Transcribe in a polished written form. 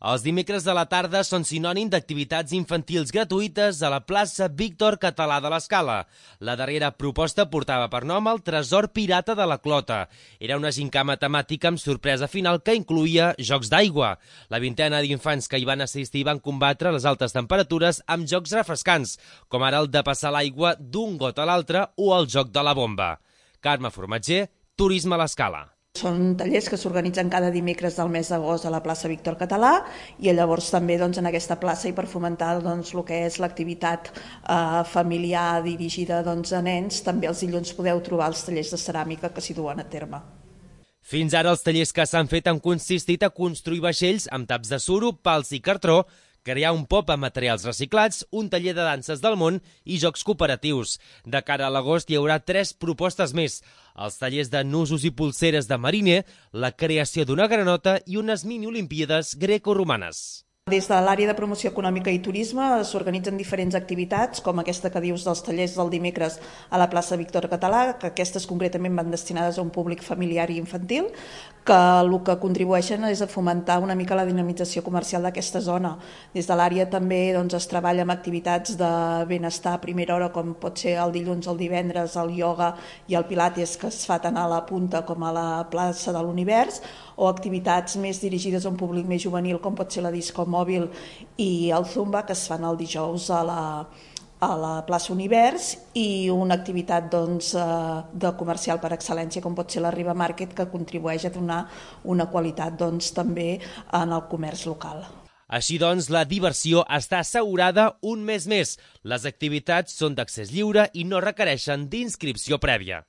Els dimecres de la tarda són sinònim d'activitats infantils gratuïtes a la plaça Víctor Català de l'Escala. La darrera proposta portava per nom el Tresor Pirata de la Clota. Era una gincama temàtica amb sorpresa final que incloïa jocs d'aigua. La vintena d'infants que hi van assistir van combatre les altes temperatures amb jocs refrescants, com ara el de passar l'aigua d'un got a l'altre o el joc de la bomba. Carme Formatger, Turisme a l'Escala. Són tallers que s'organitzen cada dimecres del mes d'agost a la plaça Víctor Català i llavors també en aquesta plaça i per fomentar el que és l'activitat familiar dirigida a nens, també els dilluns podeu trobar els tallers de ceràmica que s'hi duen a terme. Fins ara els tallers que s'han fet han consistit a construir vaixells amb taps de suro, pals i cartró, crear un pop amb materials reciclats, un taller de danses del món i jocs cooperatius. De cara a l'agost hi haurà 3 propostes més: els tallers de nusos i polseres de mariner, la creació d'una granota i unes mini-olimpíades greco-romanes. Des de l'àrea de promoció econòmica i turisme s'organitzen diferents activitats, com aquesta que dius dels tallers del dimecres a la plaça Víctor Català, que aquestes concretament van destinades a un públic familiar i infantil, que el que contribueixen és a fomentar una mica la dinamització comercial d'aquesta zona. Des de l'àrea també es treballa amb activitats de benestar a primera hora, com pot ser el dilluns, el divendres, el ioga i el pilates, que es fa tant a la Punta com a la plaça de l'Univers, o activitats més dirigides a un públic més juvenil, com pot ser la disco mòbil i el zumba, que es fan el dijous a la plaça Univers, i una activitat de comercial per excel·lència, com pot ser la Riba Market, que contribueix a donar una qualitat també en el comerç local. Així doncs, la diversió està assegurada un mes més. Les activitats són d'accés lliure i no requereixen d'inscripció prèvia.